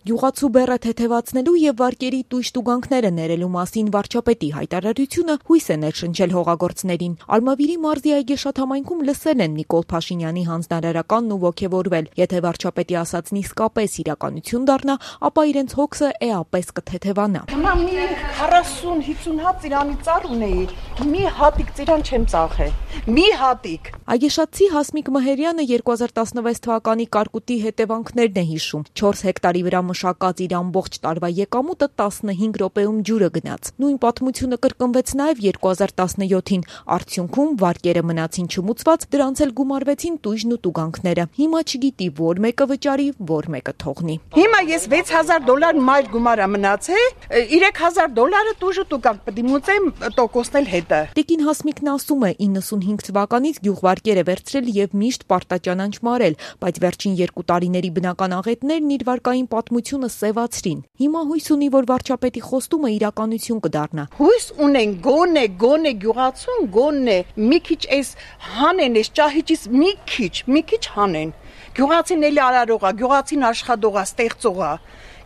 Գյուղացու բեռը թեթևացնելու եւ վարկերի տույժ տուգանքները ներելու մասին վարչապետի հայտարարությունը հույս է ներշնչել հողագործներին։ Արմավիրի մարզի Այգեշատ համայնքում լսել են Նիկոլ Փաշինյանի հանձնարարականն ու ոգևորվել։ Եթե վարչապետի ասածն իսկապես իրականություն դառնա, ապա իրենց հոգսը էապես կթեթևանա։ Հիմա մի 40-50 հատ ծիրանի ծառ ունեի, մի հատիկ ծիրան չեմ ծախել։ Մի հատիկ։ Այգեշատցի Հասմիկ Մհերյանը 2016 թվականի կարկուտի հետևանքներն է հիշում։ 4 հեկտարի վրա մշակած իր ամբողջ տարվա եկամուտը 15 րոպեում ջուրը գնաց։ Նույն պատմությունը կրկնվեց նաև 2017-ին։ Արդյունքում վարկերը մնացին չմուծված, դրանց էլ գումարվեցին տույժն ու տուգանքները։ Հիմա չգիտի որ մեկը վճարի, որ մեկը թողնի։ Հիմա ես $6000 մայր գումարա մնացե, $3000 տույժ ու տուգանք պետք է մուծեմ տոկոսն էլ հետը։ Տիկին Հասմիկն ասում է 95 թվականից գյուղվարկեր է վերցրել եւ միշտ պարտաճանանչ մարել, բայց վերջին 2 տարիների բնական աղետներն իր վարկային պատմությունը սևացրին։ Հիմա հույս ունի, որ վարչապետի խոստումը իրականություն կդառնա։ Հույս ունեն գոնե գյուղացուն գոնե մի քիչ էս հանեն, էս ճահիճից մի քիչ հանեն։ Գյուղացին էլի արարողա, գյուղացին աշխատողա, ստեղծողա։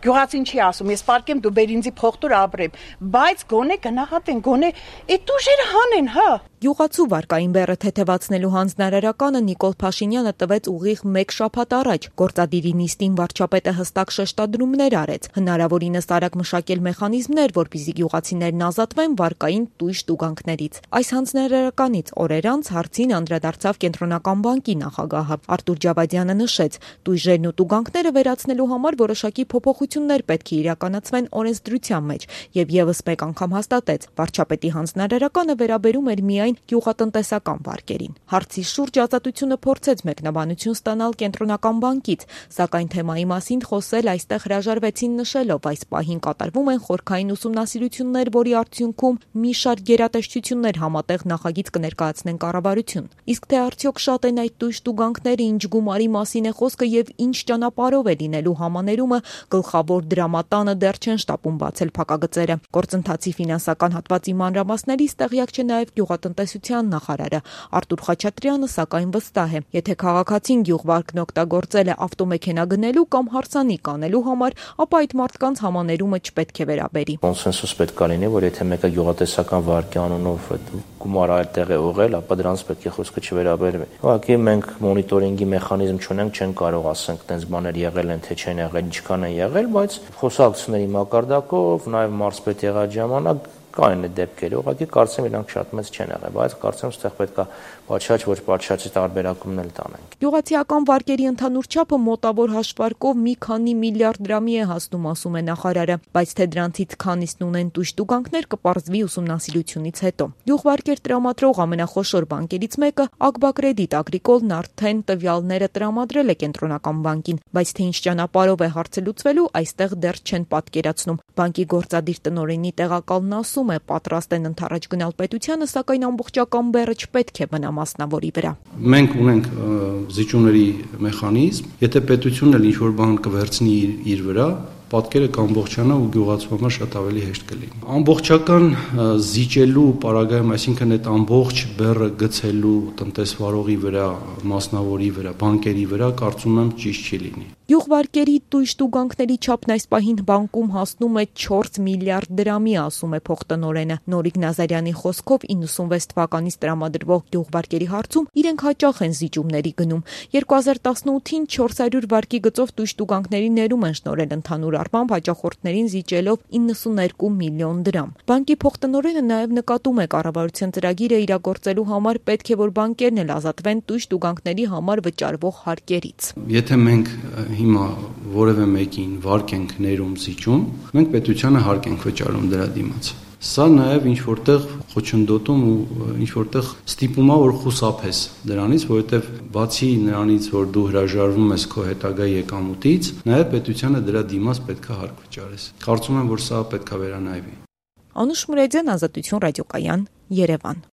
Գյուղացին չի ասում, ես պարկեմ դու բեր ինձի փողտուր ապրեմ, բայց գոնե գնահատեն, գոնե այդ ուժերը հանեն, հա։ Գյուղացու վարկային բեռը թեթևացնելու հանձնարարականը Նիկոլ Փաշինյանը տվեց ուղիղ 1 շաբաթ առաջ։ Գործադիրի նիստին վարչապետը հստակ շեշտադրումներ արեց, հնարավորինս արագ մշակել մեխանիզմներ, որպեսզի գյուղացիներն ազատվեն վարկային տույժ տուգանքներից։ Այս հանձնարարականից օրեր անց հարցին անդրադարձավ Կենտրոնական բանկի նախագահը։ Արտուր Ջավադյանը նշեց, տույժերն ու տուգանքները վերացնելու համար որոշակի փոփոխություններ պետք է իրականացվեն օրենսդրության մեջ եւ եւս մեկ անգամ հաստատեց, վարչապետի հանձնարարականը վերաբերում էր միայն գյուղատնտեսական վարկերին։ Հարցի շուրջ ազատությունը փորձեց մեկնաբանություն ստանալ Կենտրոնական բանկից, սակայն թեմայի մասին խոսել այստեղ հրաժարվեցին նշելով, այս պահին կատարվում են խորքային ուսումնասիրություններ, որի արդյունքում մի շարք գերատեսչություններ համատեղ նախագիծ կներկայացնեն կառավարություն։ Իսկ թե արդյոք շատ են այդ տույժ տուգանքները, ինչ գումարի մասին է խոսքը եւ ինչ ճանապարհով է լինելու համաներումը, գլխավոր դրամատանը դեռ չեն շտապում բացել փակագծերը։ Գործընթացի ֆինանսական հատվածի մանրամասներից տեղյակ չէ նաեւ գյուղատնտեսության նախարարը Արտուր Խաչատրյանը, սակայն վստահ է, եթե քաղաքացին գյուղվարկն օգտագործել է ավտոմեքենա գնելու կամ հարսանիք անելու համար, ապա այդ մարդկանց համաներումը չպետք է վերաբերի։ Կոնսենսուս պետք է լինի, որ եթե մեկը գյուղատնտեսական վարկի անունով գումարը այդտեղ է ուղղել, ապա դրանց պետք է խոսքը չվերաբերվի։ Ուղղակի մենք մոնիտորինգի մեխանիզմ չունենք, չեն կարող ասենք, տենց բաներ եղել են, թե չեն եղել, ինչքան են եղել, բայց խոսակցությունների մակարդակով, նաև մարզպետ եղած ժամանակ կային այդ դեպքերը, ուղղակի կարծեմ իրանք շատ մեծ չեն եղել, բայց կարծեմ ստեղ պետք է պատշաճ ոչ պատշաճի տարբերակումն էլ տանենք։ Գյուղացիական վարկերի ընդհանուր չափը մոտավոր հաշվարկով մի քանի միլիարդ դրամի է հասնում, ասում է նախարարը, բայց թե դրանցից քանիսն ունեն տույժ տուգանքներ կպարզվի ուսումնասիրությունից հետո։ Գյուղվարկեր տրամադրող ամենախոշոր բանկերից մեկը Ագբակրեդիտ Ագրիկոլն արդեն տվյալները տրամադրել է Կենտրոնական բանկին, բայց թե ինչ ճանապարհով է հարցը լուծվելու, այստեղ դեռ չեն պատկերացնում։ Բանկի գործադիր տնօրենի տեղակալն ասում է, պատրաստ են ընդառաջ գնալ պետությանը, սակայն ամբողջական բեռը չպետք է մնա մասնավորի վրա։ Մենք ունենք զիջումների մեխանիզմ, եթե պետությունն էլ ինչ-որ բան կվերցնի իր վրա, պատկերը կամբողջանա ու գյուղացու շատ ավելի հեշտ կլինի։ Ամբողջական զիջելու պարագայում, այսինքն այդ ամբողջ բեռը գցելու տնտեսվարողի վրա, մասնավորի վրա, բանկերի վրա, կարծում եմ ճիշտ չի լինի։ Գյուղվարկերի տույժ տուգանքների չափն այս պահին բանկում հասնում է 4 միլիարդ դրամի, ասում է փոխտնօրենը։ Նորիկ Նազարյանի խոսքով 96 թվականից տրամադրվող գյուղվարկերի հարցում իրենք հաճախ են զիջումների գնում։ 2018-ին 400 վարկի գծով տույժ տուգանքների ներում են շնորհել ընդհանուր առմամբ հաճախորդներին զիջելով 92 միլիոն դրամ։ Բանկի փոխտնօրենը նաև նկատում է կառավարության ծրագիրը իրագործելու համար պետք է որ բանկերն էլ ազատվեն տույժ տուգանքների համար վճարվող հարկերից։ Եթե մենք հիմա որևէ մեկին վարկ ենք ներում զիջում, մենք պետությանը հարկ ենք վճարում դրա դիմաց։ Սա նաև ինչ որտեղ խոչընդոտում ու ինչ որտեղ ստիպում է որ խուսափես դրանից, որովհետև բացի նրանից, որ դու հրաժարվում ես քո հետագա եկամուտից, նաև պետությանը դրա դիմաց պետք է հարկ վճարես։ Կարծում եմ, որ սա պետք է վերանայվի։ Անուշ Մուրեդյան, Ազատություն ռադիոկայան, Երևան։